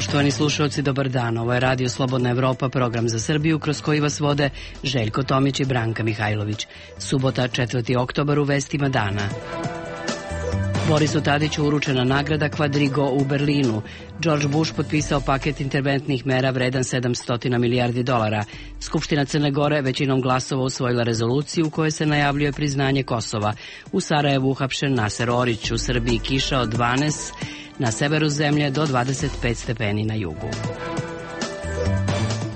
Poštovani slušalci, dobar dan. Ovo je Radio Slobodna Evropa, program za Srbiju, kroz koji vas vode Željko Tomić i Branka Mihajlović. Subota, 4. oktobar, u vestima dana. Borisu Tadiću uručena nagrada Quadrigo u Berlinu. George Bush potpisao paket interventnih mera vredan 700 milijardi dolara. Skupština Crne Gore većinom glasova usvojila rezoluciju u kojoj se najavljuje priznanje Kosova. U Sarajevu uhapšen Naser Orić, u Srbiji kiša od 12, na severu zemlje do 25 stepeni na jugu.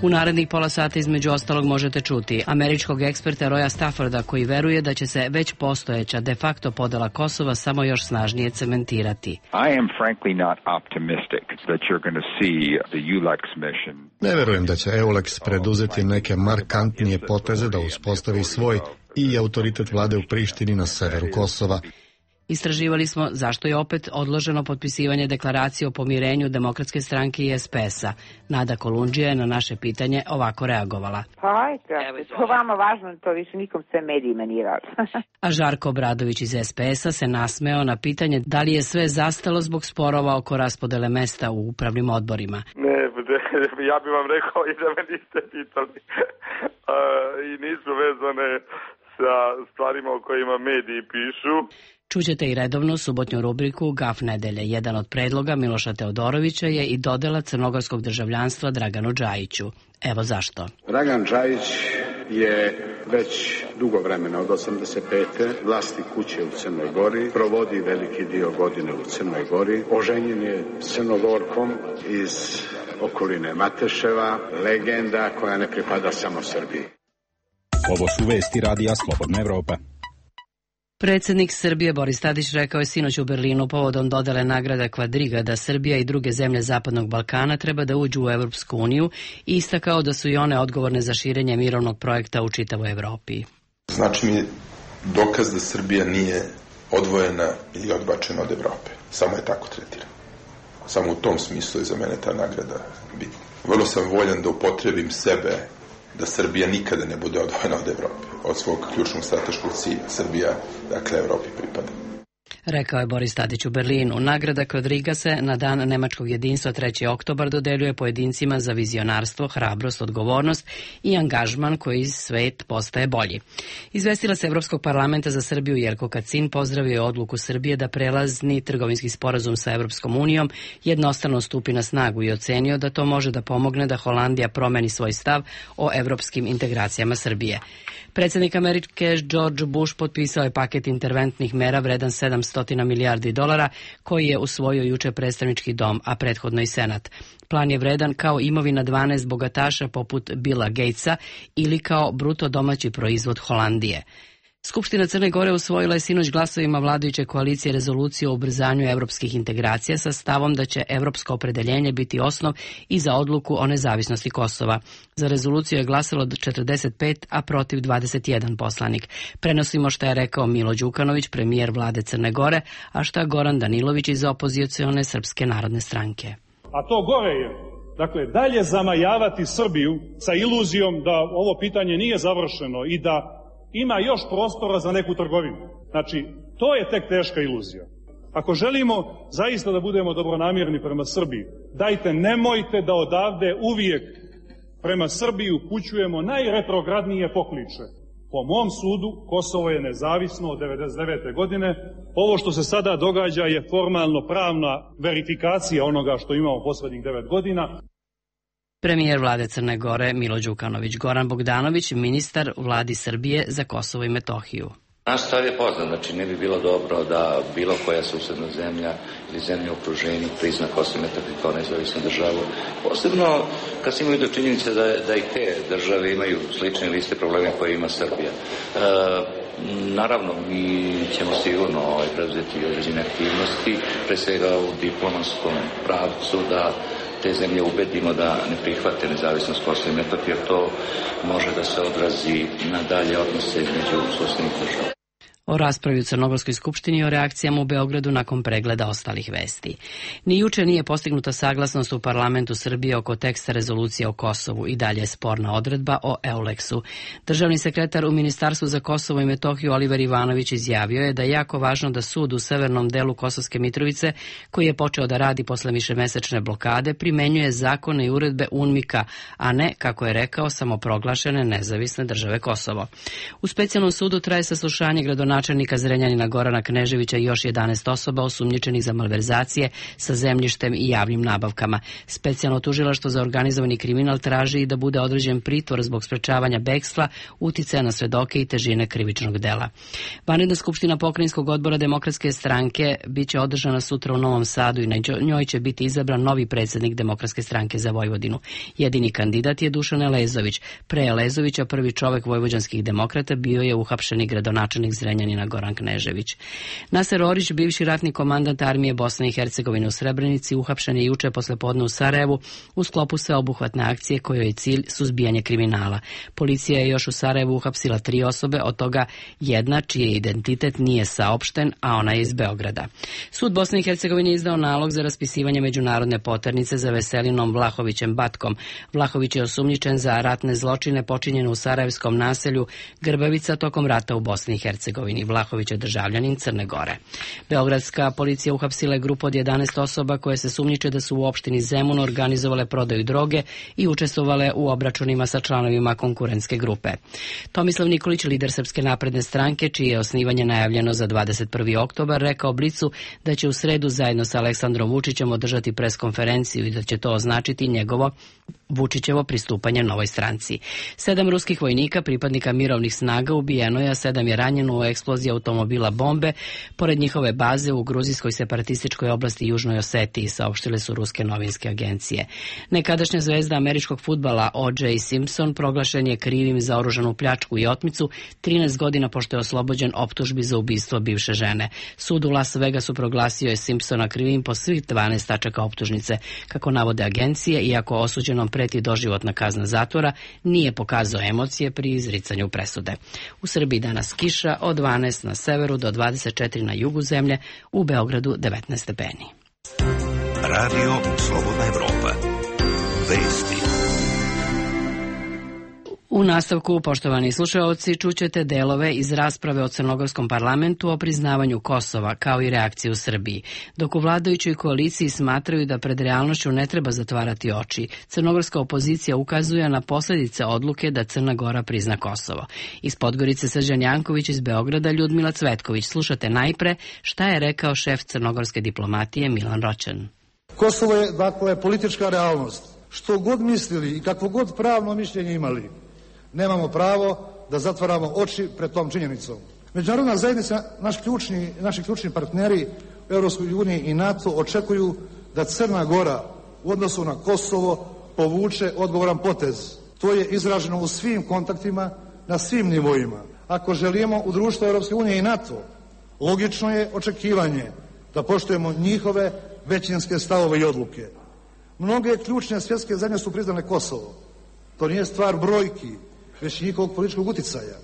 U narednih pola sata između ostalog možete čuti američkog eksperta Roya Stafforda koji veruje da će se već postojeća de facto podela Kosova samo još snažnije cementirati. I am frankly not optimistic that you're going to see the EULEX mission. Ne verujem da će EULEX preduzeti neke markantnije poteze da uspostavi svoj i autoritet vlade u Prištini na severu Kosova. Istraživali smo zašto je opet odloženo potpisivanje deklaracije o pomirenju Demokratske stranke i SPS-a. Nada Kolundžija je na naše pitanje ovako reagovala. To vama važno, to više nikom sve medijima nije važno. A Žarko Obradović iz SPS-a se nasmeo na pitanje da li je sve zastalo zbog sporova oko raspodele mesta u upravnim odborima. Ne, ja bih vam rekao i da me niste pitali. I nisu vezane sa stvarima o kojima mediji pišu. Čućete i redovnu subotnju rubriku Gaf nedelje. Jedan od predloga Miloša Teodorovića je i dodela crnogorskog državljanstva Draganu Džajiću. Evo zašto. Dragan Džajić je već dugo vremena, od 85. vlasnik kuće u Crnoj Gori, provodi veliki dio godine u Crnoj Gori, oženjen je Crnogorkom iz okoline Mateševa, legenda koja ne pripada samo Srbiji. Ovo su vesti Radija Slobodna Evropa. Predsjednik Srbije Boris Tadić rekao je sinoć u Berlinu povodom dodele nagrada Quadriga da Srbija i druge zemlje Zapadnog Balkana treba da uđu u Evropsku uniju i istakao da su i one odgovorne za širenje mirovnog projekta u čitavoj Evropi. Znači mi dokaz da Srbija nije odvojena ili odbačena od Evrope. Samo je tako tretirana. Samo u tom smislu je za mene ta nagrada bitna. Vrlo sam voljan da upotrebim sebe da Srbija nikada ne bude odvojena od Evrope, od svog ključnog strateškog cilja. Srbija, dakle, Evropi pripada. Rekao je Boris Tadić u Berlinu. Nagrada Quadriga se na dan nemačkog jedinstva 3. oktobar dodeljuje pojedincima za vizionarstvo, hrabrost, odgovornost i angažman koji svet postaje bolji. Izvestilac Evropskog parlamenta za Srbiju Jelko Kacin pozdravio je odluku Srbije da prelazni trgovinski sporazum sa Evropskom unijom jednostrano stupi na snagu i ocenio da to može da pomogne da Holandija promeni svoj stav o evropskim integracijama Srbije. Predsjednik Amerike George Bush potpisao je paket interventnih mera vredan 700 milijardi dolara koji je usvojio juče predstavnički dom, a prethodno i Senat. Plan je vredan kao imovina 12 bogataša poput Billa Gatesa ili kao bruto domaći proizvod Holandije. Skupština Crne Gore usvojila je sinoć glasovima vladajuće koalicije rezoluciju o ubrzanju evropskih integracija sa stavom da će evropsko opredeljenje biti osnov i za odluku o nezavisnosti Kosova. Za rezoluciju je glasalo 45, a protiv 21 poslanik. Prenosimo šta je rekao Milo Đukanović, premijer vlade Crne Gore, a šta Goran Danilović iz opozicione Srpske narodne stranke. A to gore je, dakle, dalje zamajavati Srbiju sa iluzijom da ovo pitanje nije završeno i da ima još prostora za neku trgovinu. Znači, to je tek teška iluzija. Ako želimo zaista da budemo dobronamjerni prema Srbiji, dajte, nemojte da odavde uvijek prema Srbiji upućujemo najretrogradnije pokliče. Po mom sudu, Kosovo je nezavisno od 1999. godine. Ovo što se sada događa je formalno pravna verifikacija onoga što imamo poslednjih 9 godina. Premijer vlade Crne Gore Milo Đukanović. Goran Bogdanović, ministar vladi Srbije za Kosovo i Metohiju. Naš stav je poznat, znači ne bi bilo dobro da bilo koja susedna zemlja ili zemlja u okruženju prizna Kosovo i Metohiju kao nezavisnu državu. Posebno kad se imaju do činjenice da i te države imaju slične ili iste probleme koje ima Srbija. Naravno, mi ćemo sigurno preuzeti određene aktivnosti, pre svega u diplomatskom pravcu, da te zemlje ubedimo da ne prihvate nezavisnost Kosova i Metohije, jer to može da se odrazi na dalje odnose između susednih država. O raspravi u Crnogorskoj skupštini i o reakcijama u Beogradu nakon pregleda ostalih vesti. Ni juče nije postignuta saglasnost u parlamentu Srbije oko teksta rezolucije o Kosovu i dalje je sporna odredba o EULEX-u. Državni sekretar u Ministarstvu za Kosovo i Metohiju Oliver Ivanović izjavio je da je jako važno da sud u severnom delu Kosovske Mitrovice, koji je počeo da radi posle višemesečne blokade, primenjuje zakone i uredbe UNMIK-a, a ne, kako je rekao, samoproglašene nezavisne države Kosovo. U specijalnom sudu traje saslušanje gradonačelnika Zrenjanina Gorana Kneževića i još 11 osoba osumnjičenih za malverzacije sa zemljištem i javnim nabavkama. Specijalno tužilaštvo za organizovani kriminal traži i da bude određen pritvor zbog sprečavanja bekstva, uticaja na svedoke i težine krivičnog dela. Vanredna skupština pokrajinskog odbora Demokratske stranke biće održana sutra u Novom Sadu i na njoj će biti izabran novi predsjednik Demokratske stranke za Vojvodinu. Jedini kandidat je Dušan Elezović. Pre Elezovića prvi čovek vojvođanskih demokrata bio je uhapšeni gradonačelnik Zrenjanina Goran Knežević. Naser Orić, bivši ratni komandant armije Bosne i Hercegovine u Srebrenici, uhapšen je juče poslepodne u Sarajevu u sklopu sveobuhvatne akcije kojoj je cilj suzbijanje kriminala. Policija je još u Sarajevu uhapsila 3 osobe, od toga jedna čiji identitet nije saopšten, a ona je iz Beograda. Sud Bosne i Hercegovine je izdao nalog za raspisivanje međunarodne poternice za Veselinom Vlahovićem Batkom. Vlahović je osumnjičen za ratne zločine počinjene u sarajevskom naselju Grbavica tokom rata u Bosni i Hercegovini. Vlahović je državljanin Crne Gore. Beogradska policija uhapsila je grupu od 11 osoba koje se sumnjiče da su u opštini Zemun organizovale prodaju droge i učestvovale u obračunima sa članovima konkurentske grupe. Tomislav Nikolić, lider Srpske napredne stranke, čije je osnivanje najavljeno za 21. oktobar, rekao Blicu da će u sredu zajedno sa Aleksandrom Vučićem održati preskonferenciju i da će to označiti njegovo Vučićevo pristupanje novoj stranci. 7 ruskih vojnika, pripadnika mirovnih snaga, ubijeno je, a 7 je ranjeno u eksploziji automobila bombe pored njihove baze u gruzijskoj separatističkoj oblasti Južnoj Osetiji, saopštile su ruske novinske agencije. Nekadašnja zvezda američkog fudbala O.J. Simpson proglašen je krivim za oružanu pljačku i otmicu 13 godina pošto je oslobođen optužbi za ubistvo bivše žene. Sud u Las Vegasu proglasio je Simpsona krivim po svih 12 tačaka optužnice. Kako navode agencije, iako osuđenom preti doživotna kazna zatvora, nije pokazao emocije pri izricanju presude. U Srbiji danas kiša od 12 na severu do 24 na jugu zemlje, u Beogradu 19 stepeni. Radio Slobodna Evropa. Vesti. U nastavku, poštovani slušaoci, čućete delove iz rasprave o crnogorskom parlamentu o priznavanju Kosova, kao i reakciju u Srbiji. Dok u vladajućoj koaliciji smatraju da pred realnošću ne treba zatvarati oči, crnogorska opozicija ukazuje na posljedice odluke da Crna Gora prizna Kosovo. Iz Podgorice Srđan Janković, iz Beograda Ljudmila Cvetković. Slušate najpre šta je rekao šef crnogorske diplomatije Milan Roćan. Kosovo je, dakle, politička realnost. Što god mislili i kakvo god pravno mišljenje imali, nemamo pravo da zatvaramo oči pred tom činjenicom. Međunarodna zajednica, naši ključni partneri u Europskoj uniji i NATO očekuju da Crna Gora u odnosu na Kosovo povuče odgovoran potez. To je izraženo u svim kontaktima, na svim nivoima. Ako želimo u društvu Europske unije i NATO, logično je očekivanje da poštujemo njihove većinske stavove i odluke. Mnoge ključne svjetske zemlje su priznale Kosovo. To nije stvar brojki, već njihovog političkog uticaja.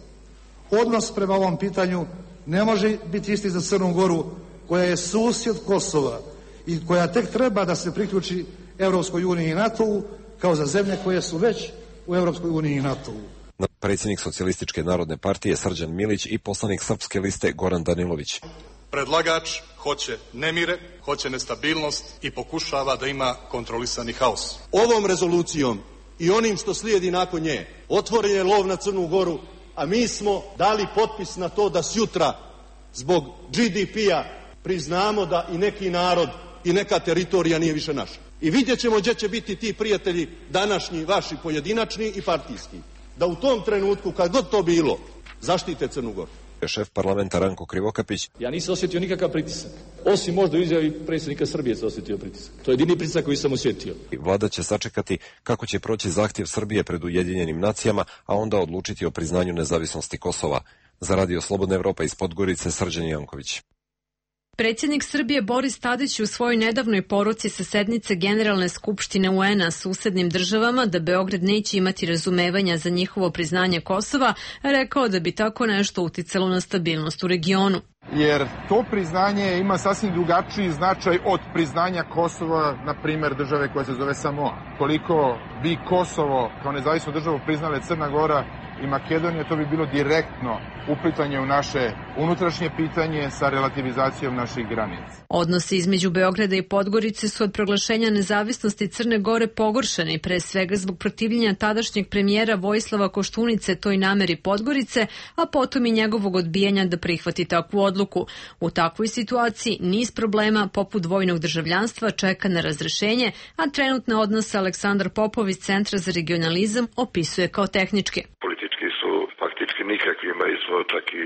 Odnos prema ovom pitanju ne može biti isti za Crnu Goru, koja je susjed Kosova i koja tek treba da se priključi Europskoj uniji i NATO-u, kao za zemlje koje su već u Europskoj uniji i NATO-u. Predsjednik Socijalističke narodne partije Srđan Milić i poslanik Srpske liste Goran Danilović. Predlagač hoće nemire, hoće nestabilnost i pokušava da ima kontrolisani haos. Ovom rezolucijom i onim što slijedi nakon nje otvoren je lov na Crnu Goru, a mi smo dali potpis na to da sjutra zbog GDP-a priznamo da i neki narod i neka teritorija nije više naša. I vidjet ćemo gdje će biti ti prijatelji današnji, vaši pojedinačni i partijski. Da u tom trenutku, kad god to bilo, zaštite Crnu Goru. Šef parlamenta Ranko Krivokapić. Ja nisam osjetio nikakav pritisak. Osim možda u izjavi predsjednika Srbije se osjetio pritisak. To je jedini pritisak koji sam osjetio. Vlada će sačekati kako će proći zahtjev Srbije pred Ujedinjenim nacijama, a onda odlučiti o priznanju nezavisnosti Kosova. Za Radio Slobodna Evropa iz Podgorice Srđan Janković. Predsjednik Srbije Boris Tadić u svojoj nedavnoj poruci sa sednice Generalne skupštine UN-a susednim državama da Beograd neće imati razumevanja za njihovo priznanje Kosova, rekao da bi tako nešto uticalo na stabilnost u regionu. Jer to priznanje ima sasvim drugačiji značaj od priznanja Kosova, na primjer države koja se zove Samoa. Koliko bi Kosovo kao nezavisnu državu priznale Crna Gora i Makedonija, to bi bilo direktno uplitanje u naše unutrašnje pitanje sa relativizacijom naših granica. Odnosi između Beograda i Podgorice su od proglašenja nezavisnosti Crne Gore pogoršani, pre svega zbog protivljenja tadašnjeg premijera Vojislava Koštunice toj nameri Podgorice, a potom i njegovog odbijanja da prihvati takvu odluku. U takvoj situaciji niz problema poput dvojnog državljanstva čeka na razrešenje, a trenutne odnose Aleksandar Popov iz Centra za regionalizam opisuje kao tehničke. Politički su faktički nikakvi, imali smo čak i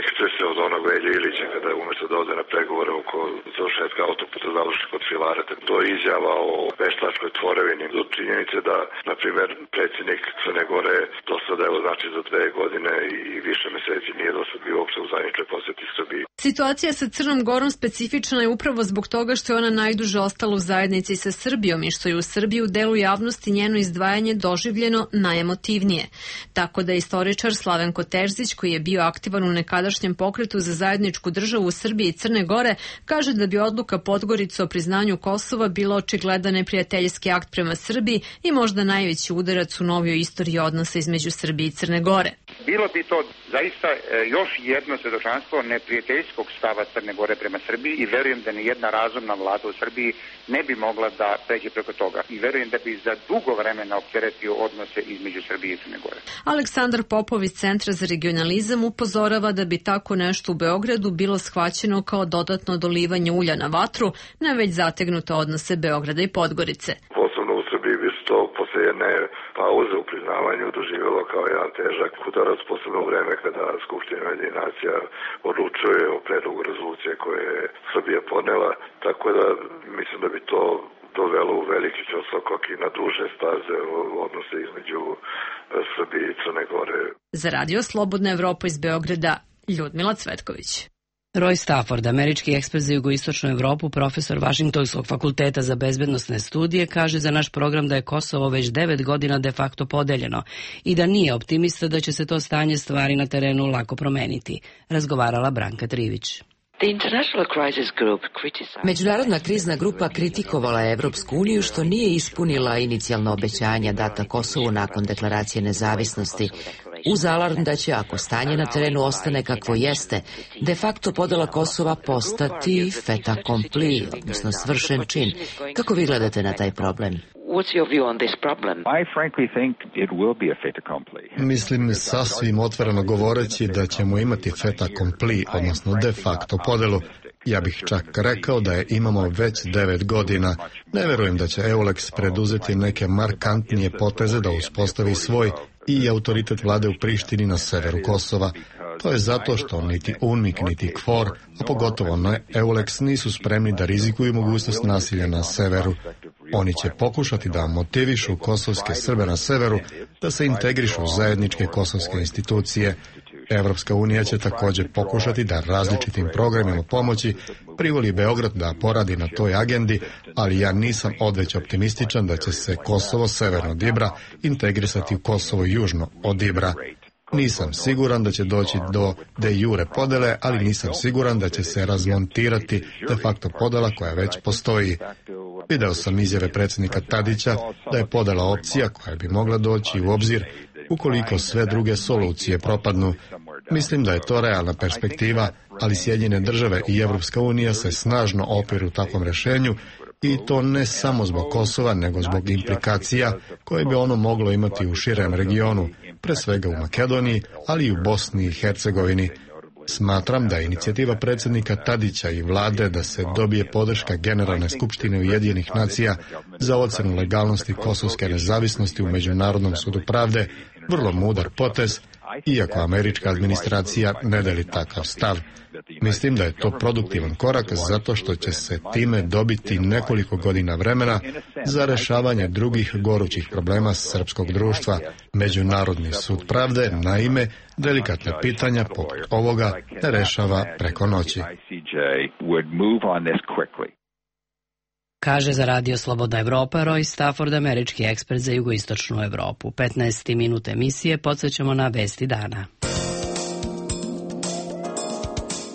ekscese od onog Velje Ilića kada je umjesto da ode na pregovore oko završetka autoputa završi kod Filareta. To je izjava o veštačkoj tvorevini do činjenice da, na primjer, predsjednik Crne Gore dosad, evo znači za 2 godine i više meseci nije dosad bio uopšte u zajedničkoj posjeti Srbiji. Situacija sa Crnom Gorom specifična je upravo zbog toga što je ona najduže ostala u zajednici sa Srbijom i što je u Srbiji u delu javnosti njeno izdvajanje doživljeno najemotivnije. Tako da istoričar Slavenko Terzić, koji je bio aktivan u nekadašnjem pokretu za zajedničku državu u Srbiji i Crne Gore, kaže da bi odluka Podgorice o priznanju Kosova bila očigledan neprijateljski akt prema Srbiji i možda najveći udarac u novijoj istoriji odnosa između Srbije i Crne Gore. Bilo bi to zaista još jedno svedočanstvo neprijateljskog stava Crne Gore prema Srbiji i verujem da nijedna razumna vlada u Srbiji ne bi mogla da pređe preko toga. I verujem da bi za dugo vremena opteretio odnose između Srbije i Crne Gore. Aleksandar Popov iz Centra za regionalizam upozorava da bi tako nešto u Beogradu bilo shvaćeno kao dodatno dolivanje ulja na vatru na već zategnute odnose Beograda i Podgorice. Posebno u Srbiji bi se to posle jedne pauze u priznavanju doživjelo kao jedan težak udarac, posebno u vreme kada Skupština Ujedinjenih nacija odlučuje o predlogu rezolucije koje je Srbija podnela, tako da mislim da bi to dovelo u veliki ćoskok i na duže staze odnose između Srbije i Crne Gore. Za Radio Slobodna Evropa iz Beograda, Ljudmila Cvetković. Roy Stafford, američki ekspert za jugoistočnu Evropu, profesor Vašingtonskog fakulteta za bezbednosne studije, kaže za naš program da je Kosovo već 9 godina de facto podeljeno i da nije optimista da će se to stanje stvari na terenu lako promeniti. Razgovarala Branka Trivić. Međunarodna krizna grupa kritikovala je Evropsku uniju što nije ispunila inicijalna obećanja data Kosovu nakon deklaracije nezavisnosti, uz alarm da će, ako stanje na terenu ostane kakvo jeste, de facto podela Kosova postati fait accompli, odnosno svršen čin. Kako vi gledate na taj problem? Mislim, sasvim otvoreno govoreći da ćemo imati fait accompli, odnosno de facto podelu. Ja bih čak rekao da je imamo već 9 godina. Ne verujem da će EULEX preduzeti neke markantnije poteze da uspostavi svoj i autoritet vlade u Prištini na severu Kosova. To je zato što niti UNMIK, niti KFOR, a pogotovo ne EULEX, nisu spremni da rizikuju mogućnost nasilja na severu. Oni će pokušati da motivišu kosovske Srbe na severu da se integrišu u zajedničke kosovske institucije. Evropska unija će također pokušati da različitim programima pomoći privoli Beograd da poradi na toj agendi, ali ja nisam odveć optimističan da će se Kosovo severno od Ibra integrisati u Kosovo južno od Ibra. Nisam siguran da će doći do de jure podele, ali nisam siguran da će se razmontirati de facto podela koja već postoji. Video sam izjave predsjednika Tadića da je podela opcija koja bi mogla doći u obzir ukoliko sve druge solucije propadnu. Mislim da je to realna perspektiva, ali Sjedinjene države i Evropska unija se snažno opiru takvom rješenju i to ne samo zbog Kosova, nego zbog implikacija koje bi ono moglo imati u širem regionu, pre svega u Makedoniji, ali i u Bosni i Hercegovini. Smatram da je inicijativa predsjednika Tadića i vlade da se dobije podrška Generalne skupštine Ujedinjenih nacija za ocjenu legalnosti kosovske nezavisnosti u Međunarodnom sudu pravde vrlo mudar potez iako američka administracija ne deli takav stav. Mislim da je to produktivan korak zato što će se time dobiti nekoliko godina vremena za rešavanje drugih gorućih problema srpskog društva. Međunarodni sud pravde, naime, delikatna pitanja poput ovoga ne rešava preko noći. Kaže za Radio Slobodna Evropa Roy Stafford, američki ekspert za jugoistočnu Evropu. 15. minut emisije podsjećamo na vesti dana.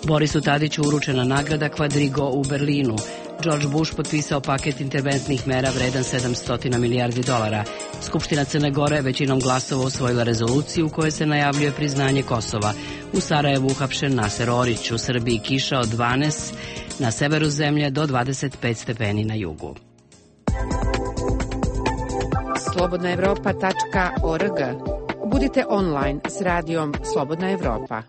Borisu Tadiću uručena nagrada Quadrigo u Berlinu. George Bush potpisao paket interventnih mera vredan 700 milijardi dolara. Skupština Crne Gore većinom glasova usvojila rezoluciju u kojoj se najavljuje priznanje Kosova. U Sarajevu uhapšen Naser Orić, u Srbiji kiša od 12, na severu zemlje do 25 stepeni na jugu. slobodnaevropa.org. Budite online s radijom Slobodna Evropa.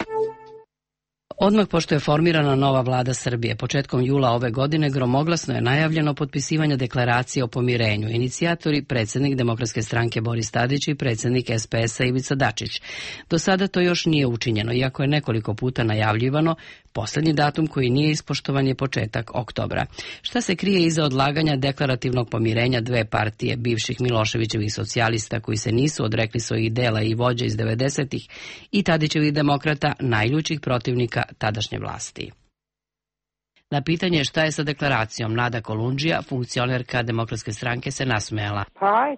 Odmah pošto je formirana nova vlada Srbije, početkom jula ove godine gromoglasno je najavljeno potpisivanje deklaracije o pomirenju. Inicijatori predsjednik Demokratske stranke Boris Tadić i predsjednik SPS-a Ivica Dačić. Do sada to još nije učinjeno, iako je nekoliko puta najavljivano. Posljednji datum koji nije ispoštovan je početak oktobra. Šta se krije iza odlaganja deklarativnog pomirenja dve partije bivših Miloševićevih socijalista koji se nisu odrekli svojih dela i vođa iz 90-ih i Tadićevih demokrata, najljućih protivnika tadašnje vlasti? Na pitanje šta je sa deklaracijom, Nada Kolundžija, funkcionerka Demokratske stranke, se nasmejala. Pa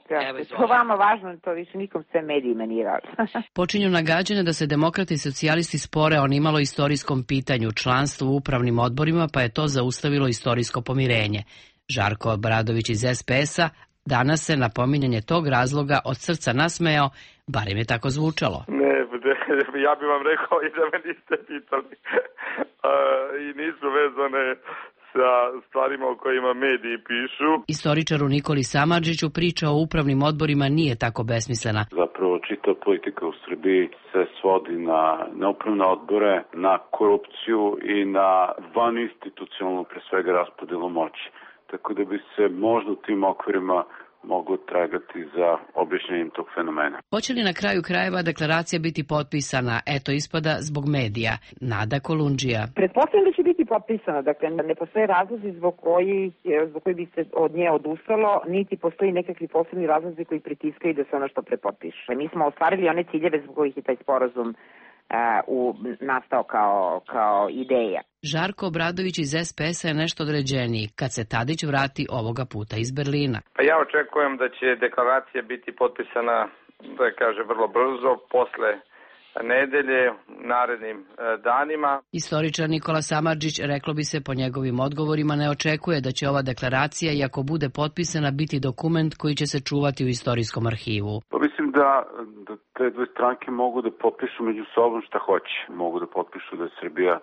to vama važno, to više nikom sve medijima nije važno. Počinju nagađanja da se demokrati i socijalisti spore o nimalo istorijskom pitanju, članstvu u upravnim odborima, pa je to zaustavilo istorijsko pomirenje. Žarko Obradović iz SPS-a danas se na pominjanje tog razloga od srca nasmejao, barem je tako zvučalo. Ja bih vam rekao i da me niste pitali i nisu vezane sa stvarima o kojima mediji pišu. Istoričaru Nikoli Samardžiću priča o upravnim odborima nije tako besmislena. Zapravo čita politika u Srbiji se svodi na upravne odbore, na korupciju i na vaninstitucionalnu, pre svega, raspodelu moći. Tako da bi se možda u tim okvirima mogu tragati za objašnjenjem tog fenomena. Hoće li na kraju krajeva deklaracija biti potpisana? Eto ispada zbog medija. Nada Kolundžija. Pretpostavljam da će biti potpisana, dakle ne postoje razlozi zbog koji bi se od nje odustalo, niti postoji nekakvi posebni razlozi koji pritiskaju da se ono što prepotpiše. Mi smo ostvarili one ciljeve zbog kojih je taj sporazum nastao kao ideja. Žarko Obradović iz SPS-a je nešto određeniji kad se Tadić vrati ovoga puta iz Berlina. Pa ja očekujem da će deklaracija biti potpisana, da kaže, vrlo brzo, posle nedelje, narednim danima. Istoričar Nikola Samardžić, reklo bi se po njegovim odgovorima, ne očekuje da će ova deklaracija, i ako bude potpisana, biti dokument koji će se čuvati u istorijskom arhivu. Pa mislim da te dve stranke mogu da potpišu među sobom šta hoće. Mogu da potpišu da je Srbija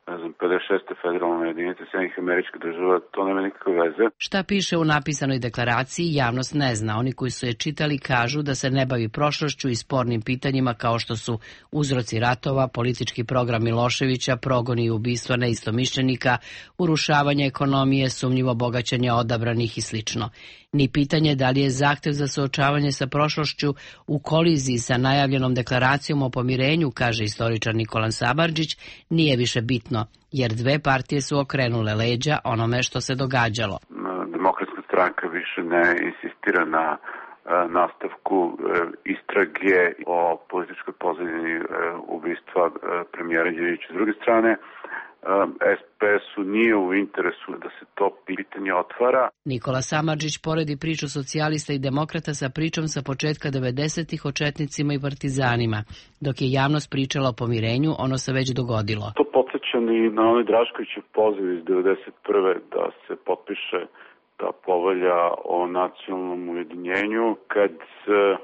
56. federalna jedinica Sjedinjenih Američkih Država, to nema nikakve veze. Šta piše u napisanoj deklaraciji, javnost ne zna. Oni koji su je čitali kažu da se ne bavi prošlošću i spornim pitanjima kao što su uzroci ratova, politički program Miloševića, progoni i ubistva neistomišljenika, urušavanje ekonomije, sumnjivo bogaćenje odabranih i slično. Ni pitanje da li je zahtev za suočavanje sa prošlošću u koliziji sa najavljenom deklaracijom o pomirenju, kaže istoričar Nikola Samardžić, nije više bitno, jer dve partije su okrenule leđa onome što se događalo. Demokratska stranka više ne insistira na nastavku istrage o političkoj pozadini ubistva premijera Đinđića. S druge strane, SPS-u nije u interesu da se to pitanje otvara. Nikola Samardžić poredi priču socijalista i demokrata sa pričom sa početka 90-ih o četnicima i partizanima. Dok je javnost pričala o pomirenju, ono se već dogodilo. To podsjeća i na onaj Draškovićev poziv iz 91. da se potpiše ta povelja o nacionalnom ujedinjenju, kad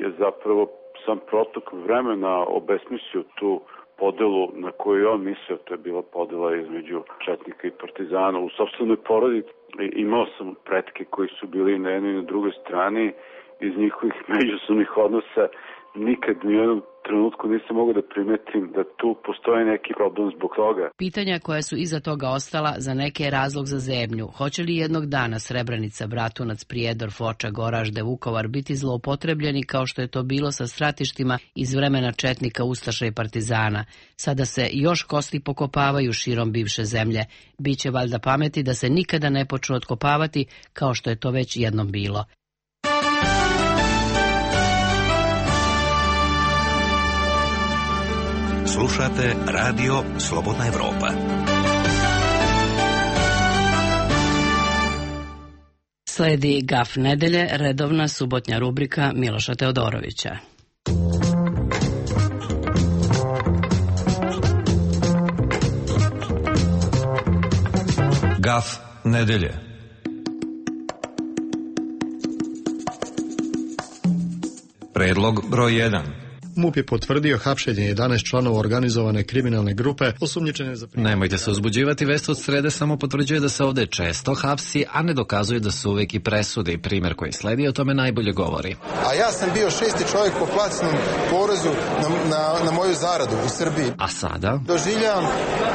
je zapravo sam protok vremena obesmislio tu podelu na koju on mislio, to je bila podela između četnika i partizana. U sopstvenoj porodici imao sam pretke koji su bili na jednoj i na drugoj strani, iz njihovih međusobnih odnosa nikad ni u jednom trenutku nisam mogao da primetim da tu postoji neki problem zbog toga. Pitanja koja su iza toga ostala za neke je razlog za zebnju. Hoće li jednog dana Srebrenica, Bratunac, Prijedor, Foča, Goražde, Vukovar biti zloupotrebljeni kao što je to bilo sa stratištima iz vremena četnika, ustaša i partizana? Sada se još kosti pokopavaju širom bivše zemlje. Biće valjda pameti da se nikada ne počnu otkopavati kao što je to već jednom bilo. Slušate Radio Slobodna Evropa. Sledi Gaf nedelje, redovna subotnja rubrika Miloša Teodorovića. Gaf nedelje. Predlog broj 1. MUP je potvrdio hapšenje 11 članova organizovane kriminalne grupe osumnjičene za... Nemojte se uzbuđivati, vest od srede samo potvrđuje da se ovde često hapsi, a ne dokazuje da su uvek i presude i primer koji sledi o tome najbolje govori. A ja sam bio 6. čovjek po plaćenom porezu na moju zaradu u Srbiji. A sada? Doživljavam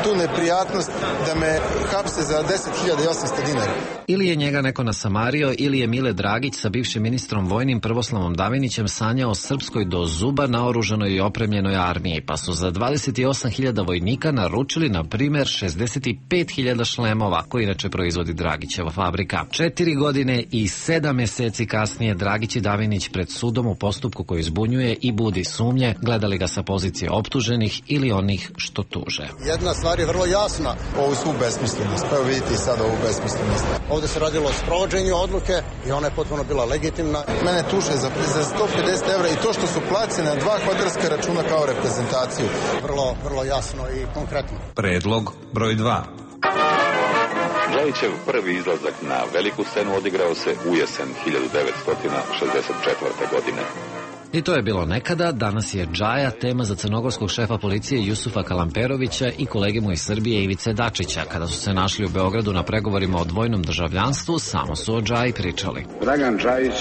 tu neprijatnost da me hapse za 10.800 dinara. Ili je njega neko nasamario, ili je Mile Dragić sa bivšim ministrom vojnim Prvoslavom Davinićem sanjao o srpskoj do zuba naoružanoj i opremljenoj armiji, pa su za 28.000 vojnika naručili, na primjer, 65.000 šlemova, koji inače proizvodi Dragićeva fabrika. 4 godine i 7 meseci kasnije Dragić i Davinić pred sudom u postupku koji zbunjuje i budi sumnje, gledali ga sa pozicije optuženih ili onih što tuže. Jedna stvar je vrlo jasna, ovu svu besmislenost. Pa evo vidite i sad ovu besmislenost. Ovde se radilo o sprovođenju odluke i ona je potpuno bila legitimna. Mene tuže za 150 evra i to što su placene na 2 hotelska računa kao reprezentaciju. Vrlo jasno i konkretno. Predlog broj 2. Džajićev prvi izlazak na veliku scenu odigrao se u jesen 1964. godine. I to je bilo nekada, danas je Džaja tema za crnogorskog šefa policije Jusufa Kalamperovića i kolege mu iz Srbije Ivice Dačića. Kada su se našli u Beogradu na pregovorima o dvojnom državljanstvu, samo su o Džaji pričali. Dragan Džajić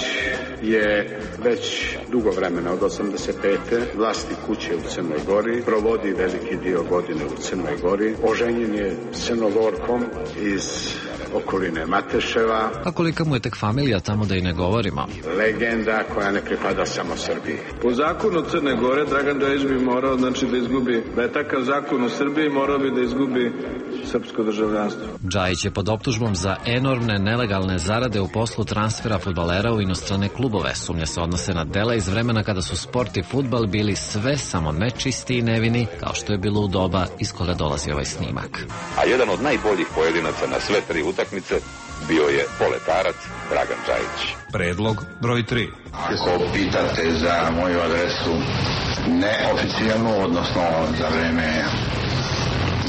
je već dugo vremena, od 85. vlasnik kuće u Crnoj Gori, provodi veliki dio godine u Crnoj Gori, oženjen je s Crnogorkom iz okoline Mateševa. A kolika mu je tek familija, tamo da i ne govorimo. Legenda koja ne pripada samo Srbiji. Po zakonu Crne Gore Dragan Džajić bi morao, znači, da izgubi, da je takav zakon u Srbiji, morao bi da izgubi srpsko državljanstvo. Džajić je pod optužbom za enormne nelegalne zarade u poslu transfera fudbalera u inostrane klubove. Sumnje se odnose na dela iz vremena kada su sport i fudbal bili sve samo nečisti i nevini, kao što je bilo u doba iz koga dolazi ovaj snimak. A jedan od najboljih pojedinaca na sve 3 utakmice bio je poletarac Dragan Džajić. Predlog broj 3. Ako pitate za moju adresu neoficijalnu, odnosno za vreme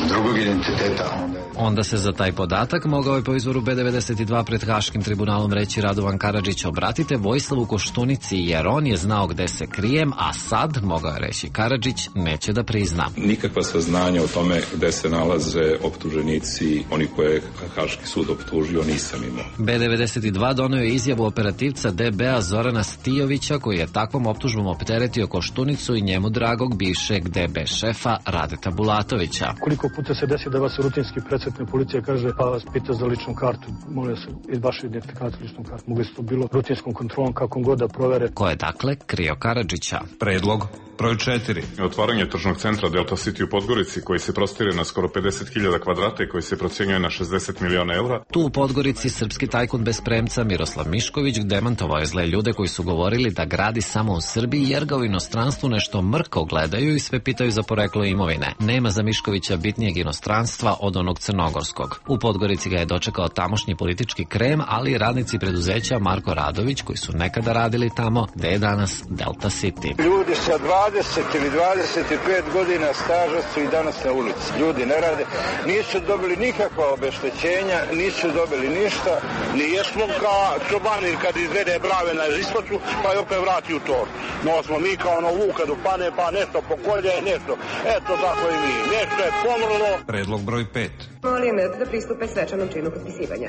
drugog identiteta, onda se za taj podatak mogao je po izvoru B92 pred Haškim tribunalom reći Radovan Karadžić: obratite Vojislavu Koštunici jer on je znao gde se krijem, a sad, mogao je reći Karadžić, neće da prizna. Nikakva saznanja o tome gde se nalaze optuženici, oni koje je Haški sud optužio, nisam imao. B92 donio je izjavu operativca DB-a Zorana Stijovića, koji je takvom optužbom opteretio Koštunicu i njemu dragog bivšeg DB šefa Radeta Bulatovića. Koliko puta se desi da vas rutinski predsjednik policija kaže pa vas pita za ličnu kartu, molim se iz vaše identifikacije ličnu kartu. Mogli su to bilo rutinskom kontrolom kako god da provere. Ko je dakle krio Karadžića? Predlog broj 4. Otvaranje tržnog centra Delta City u Podgorici, koji se prostire na skoro 50.000 kvadrata i koji se procenjuje na 60 miliona evra. Tu u Podgorici srpski tajkun bez premca Miroslav Mišković demantovao je zle ljude koji su govorili da gradi samo u Srbiji jer ga u inostranstvu nešto mrko gledaju i sve pitaju za poreklo imovine. Nema za Miškovića bitnijeg inostranstva od onog crnogorskog. U Podgorici ga je dočekao tamošnji politički krem, ali i radnici preduzeća Marko Radović koji su nekada radili tamo gde je danas Delta City. Ljudi sa 20 ili 25 godina staža su i danas na ulici. Ljudi ne rade, nisu dobili nikakva obeštećenja, nisu dobili ništa. Nijesmo kao čobanir kad izvede brave na ispacu, pa je opet vrati u tor. No smo mi kao ono vuka do pane, pa nešto pokolje, nešto. Eto tako i mi. Nešto je pomrlo. Predlog broj 5. Molim da pristupe svečanom činu potpisivanja.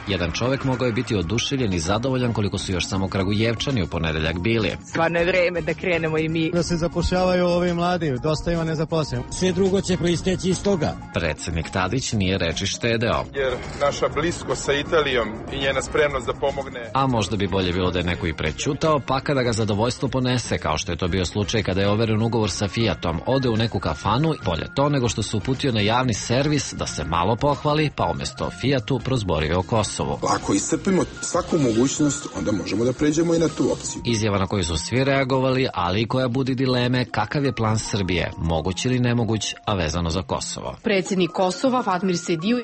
Jedan čovek mogao je biti oduševljen i zadovoljan koliko su još samo Kragujevčani u ponedeljak bili. Stvarno je vreme da krenemo i mi. Da se zapošljavaju ovi mladi, dosta ima nezaposlenih. Sve drugo će proisteći iz toga. Predsednik Tadić nije reči štedeo. Jer naša bliskost sa Italijom i njena spremnost da pomogne. A možda bi bolje bilo da je neko i prećutao, pa kada ga zadovoljstvo ponese, kao što je to bio slučaj kada je overen ugovor sa Fiatom, ode u neku kafanu, bolje to nego što se uputio na javni servis da se malo pohvali, pa umesto Fiatu prozborio o Kosovu. Ako iscrpimo svaku mogućnost, onda možemo da pređemo i na tu opciju. Izjava na koju su svi reagovali, ali i koja budi dileme kakav je plan Srbije, moguć ili nemoguć, a vezano za Kosovo. Predsjednik Kosova, Fatmir Sediju,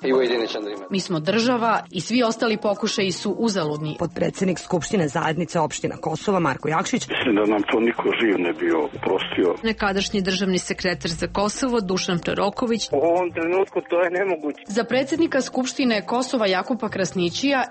mi smo država i svi ostali pokušaji su uzaludni. Podpredsjednik Skupštine zajednice opština Kosova, Marko Jakšić. Mislim da nam to niko živ ne bio prostio. Nekadašnji državni sekretar za Kosovo, Dušan Proroković. U ovom trenutku to je nemoguće. Za predsjednika Skupštine Kosova, Jakupa Krasnićija,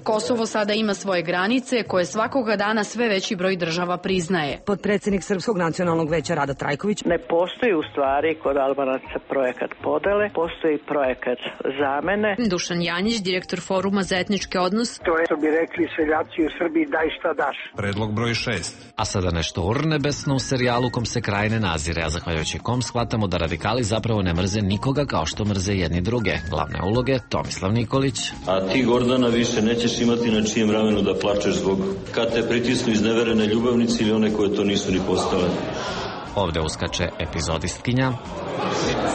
Kosovo sada ima svoje granice koje svakoga dana sve veći broj država priznaje. Podpredsjednik Srpskog nacionalnog veća Rada Trajković. Ne postoji u stvari kod Albanaca projekat podele, postoji projekat zamene. Dušan Janjić, direktor Foruma za etničke odnose. To je, što bi rekli seljaci u Srbiji, daj šta daš. Predlog broj 6. A sada nešto urnebesno u serijalu kom se kraj ne nazire, a zahvaljujući kom shvatamo da radikali zapravo ne mrze nikoga kao što mrze jedni druge. Glavne uloge Tomislav Nikolić. A ti, Gordana, više nećeš imati na čijem ramenu da plačeš zbog kad te pritisnu izneverene ljubavnici ili one koje to nisu ni postale. Ovde uskače epizodistkinja.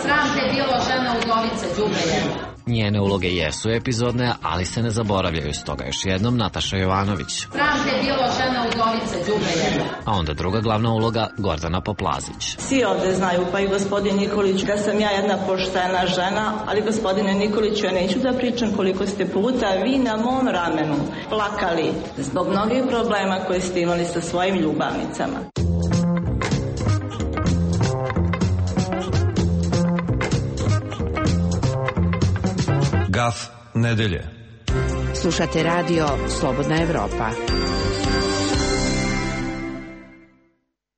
Sram te bilo, žena udovica, đubre. Njene uloge jesu epizodne, ali se ne zaboravljaju, stoga još jednom Nataša Jovanović. Sram te bilo, žena udovica, đubre. A onda druga glavna uloga Gordana Poplazić. Svi ovde znaju, pa i gospodin Nikolić, da sam ja jedna poštena žena, ali gospodine Nikoliću, ja neću da pričam koliko ste puta vi na mom ramenu plakali zbog mnogih problema koje ste imali sa svojim ljubavnicama. Gaf nedelje. Slušate radio Slobodna Evropa.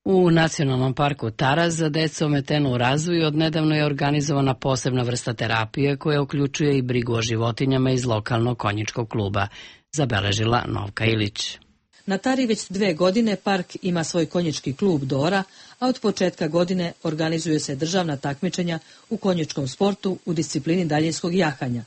U Nacionalnom parku Tara za decu ometenu u razvoju odnedavno je organizovana posebna vrsta terapije koja uključuje i brigu o životinjama iz lokalnog konjičkog kluba, zabeležila Novka Ilić. Na Tari već 2 godine park ima svoj konjički klub Dora, a od početka godine organizuje se državna takmičenja u konjičkom sportu u disciplini daljinskog jahanja.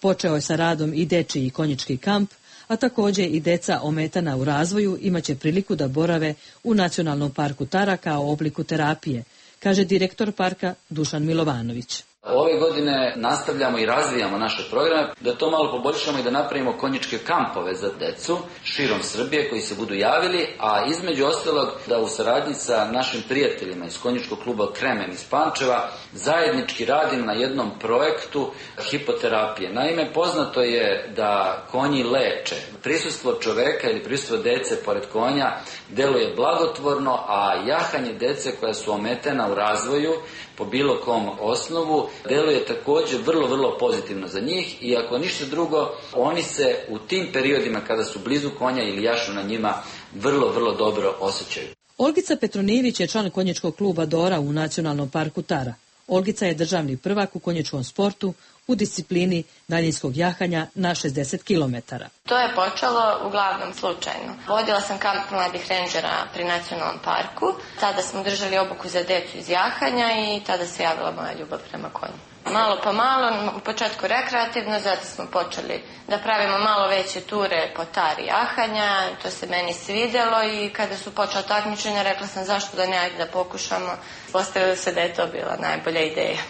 Počeo je sa radom i dečiji konjički kamp, a također i deca ometana u razvoju imaće priliku da borave u Nacionalnom parku Tara kao obliku terapije, kaže direktor parka Dušan Milovanović. Ove godine nastavljamo i razvijamo naše programe, da to malo poboljšamo i da napravimo konjičke kampove za decu širom Srbije koji se budu javili, a između ostalog da u saradnji sa našim prijateljima iz konjičkog kluba Kremen iz Pančeva zajednički radim na jednom projektu hipoterapije. Naime, poznato je da konji leče. Prisustvo čoveka ili prisustvo dece pored konja deluje blagotvorno, a jahanje dece koja su ometena u razvoju po bilo kom osnovu deluje također vrlo pozitivno za njih i ako ništa drugo, oni se u tim periodima kada su blizu konja ili jašu na njima vrlo dobro osjećaju. Olgica Petronijević je član konjičkog kluba Dora u Nacionalnom parku Tara. Olgica je državni prvak u konjičkom sportu u disciplini daljinskog jahanja na 60 km. To je počelo uglavnom slučajno. Vodila sam kamp mladih rendžera pri Nacionalnom parku. Tada smo držali obuku za decu iz jahanja i tada se javila moja ljubav prema konju. Malo po malo, u početku rekreativno, zato smo počeli da pravimo malo veće ture po Tari jahanja. To se meni svidjelo i kada su počela takmičenja rekla sam zašto da ne, ajde da pokušamo. Postavilo se da je to bila najbolja ideja.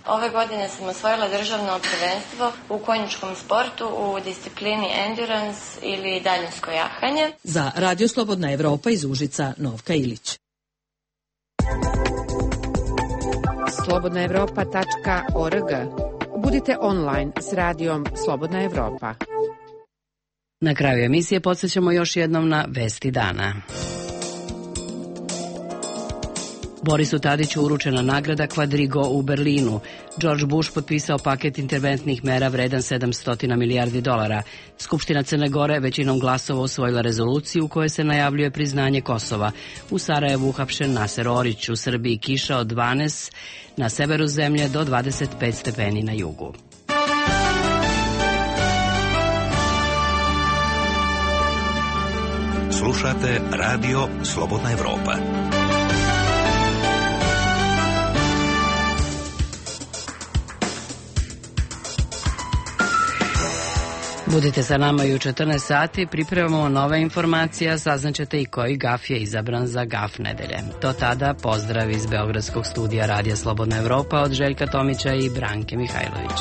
Ove godine sam osvojila državno prvenstvo u konjičkom sportu u disciplini endurance ili daljinsko jahanje. Za Radio Slobodna Evropa iz Užica, Novka Ilić. slobodnaevropa.org. Budite online s radijom Slobodna Evropa. Na kraju emisije podsjećamo još jednom na vesti dana. Borisu Tadiću uručena nagrada Quadrigo u Berlinu. George Bush potpisao paket interventnih mera vredan $700 milijardi. Skupština Crne Gore većinom glasova usvojila rezoluciju u kojoj se najavljuje priznanje Kosova. U Sarajevu uhapšen Naser Orić, u Srbiji kiša od 12 na severu zemlje do 25 stepeni na jugu. Slušate Radio Slobodna Evropa. Budite sa nama i u 14 sati, pripremamo nove informacije, saznaćete i koji gaf je izabran za gaf nedelje. Do tada pozdrav iz Beogradskog studija Radija Slobodna Evropa od Željka Tomića i Branke Mihajlović.